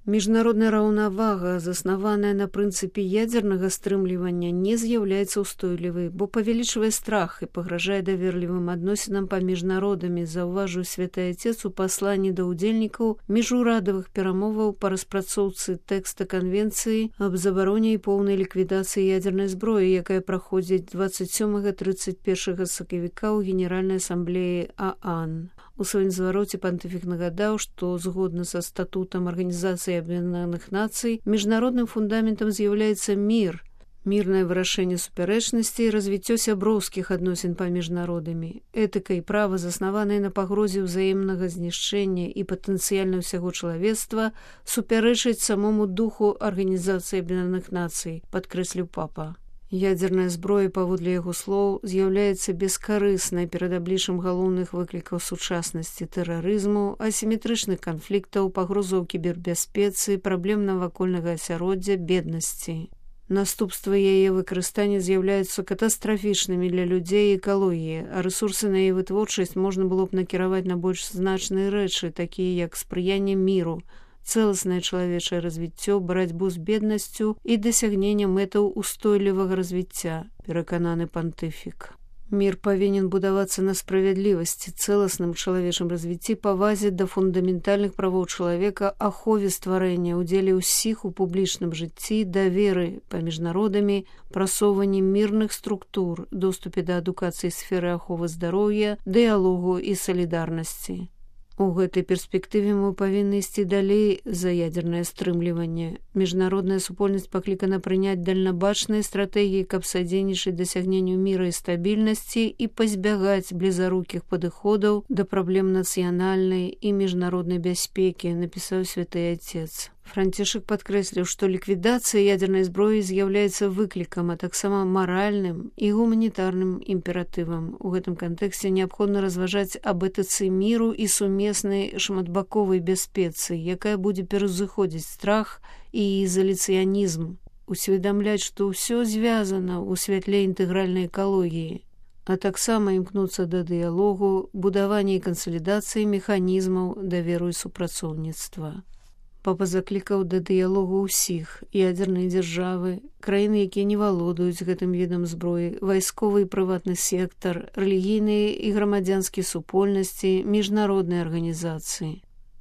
Міжнародная раўнавага, заснаваная на прынцыпе ядзернага стрымлівання, не з'яўляецца ўстойлівай, бо павялічвае страх і пагражае даверлівым адносінам паміж народамі, заўважыў Святы Отец у пасланні да ўдзельнікаў міжурадавых перамоваў па распрацоўцы тэкста канвенцыі аб забароне і поўнай ліквідацыі ядзернай зброі, якая праходзіць 27-31 сакавіка ў Генеральнай асамблеі ААН. У сваім звароце пантыфік нагадаў, што згодна са статутам Арганізацыі Аб'яднаных Нацый міжнародным фундаментам з'яўляецца мір, мірнае вырашэнне супярэчнасці і развіццё сяброўскіх адносін паміж народамі. Этыка і права, заснаваныя на пагрозе ўзаемнага знішчэння і патэнцыяльна ўсяго чалавецтва, супярэчаць самому духу Арганізацыі Аб'яднаных Нацый, падкрэсліў папа. Ядзерная зброя, паводле яго слоў, з'яўляецца бескарыснай перад абліччам галоўных выклікаў сучаснасці, тэрарызму, асіметрычных канфліктаў, пагрозаў кібербяспецы, праблем навакольнага асяроддзя, беднасці. Наступствы яе выкарыстання з'яўляюцца катастрафічнымі для людзей і экалогіі, а рэсурсы на яе вытворчасць можна было б накіраваць на больш значныя рэчы, такія як спрыянне міру, цэласнае чалавечае развіццё, барацьбу з беднасцю і дасягнення мэтаў устойлівага развіцця, перакананы пантыфік. Мір павінен будавацца на справядлівасці, цэласным чалавечым развіцці, павазе да фундаментальных правоў чалавека, ахове стварэння, удзеле ўсіх у публічным жыцці, даверы паміж народамі, прасоўванні мірных структур, доступе да адукацыі сферы аховы здароўя, дыялогу і салідарнасці. У гэтай перспектыве мы павінны ісці далей за ядзернае стрымліванне. Міжнародная супольнасць паклікана прыняць дальнабачныя стратэгіі, каб садзейнічаць дасягненню міра і стабільнасці і пазбягаць блізарукіх падыходаў да праблем нацыянальнай і міжнароднай бяспекі, напісаў Святы Отец. Францішак падкрэсліў, што ліквідацыя ядзернай зброі з'яўляецца выклікам, а таксама маральным і гуманітарным імператывам. У гэтым кантэксце неабходна разважаць аб этыцы міру і сумеснай шматбаковай бяспецы, якая будзе пераўзыходзіць страх і ізаляцыянізм, усведамляць, што ўсё звязана ў святле інтэгральнай экалогіі, а таксама імкнуцца да дыялогу, будавання і кансалідацыі механізмаў даверу і супрацоўніцтва. Папа заклікаў да дыялогу ўсіх, ядзерныя дзяржавы, краіны, якія не валодаюць гэтым відам зброі, вайсковы і прыватны сектар, рэлігійныя і грамадзянскія супольнасці, міжнародныя арганізацыі.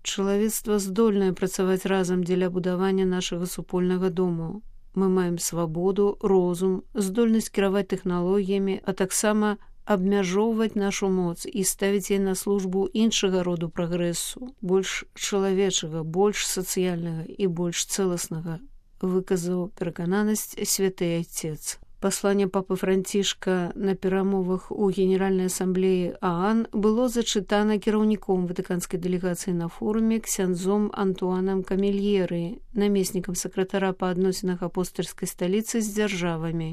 Чалавецтва здольнае працаваць разам дзеля будавання нашага супольнага дому. Мы маем свабоду, розум, здольнасць кіраваць тэхналогіямі, а таксама абмяжоўваць нашу моц і ставіць яе на службу іншага роду прагрэсу, больш чалавечага, больш сацыяльнага і больш цэласнага, выказаў перакананасць Святы Отец. Пасланне папы Францішка на перамовах у Генеральнай асамблеі ААН было зачытана кіраўніком ватыканскай дэлегацыі на форуме ксяндзом Антуанам Камельеры, намеснікам сакратара па адносінах апостальскай сталіцы з дзяржавамі.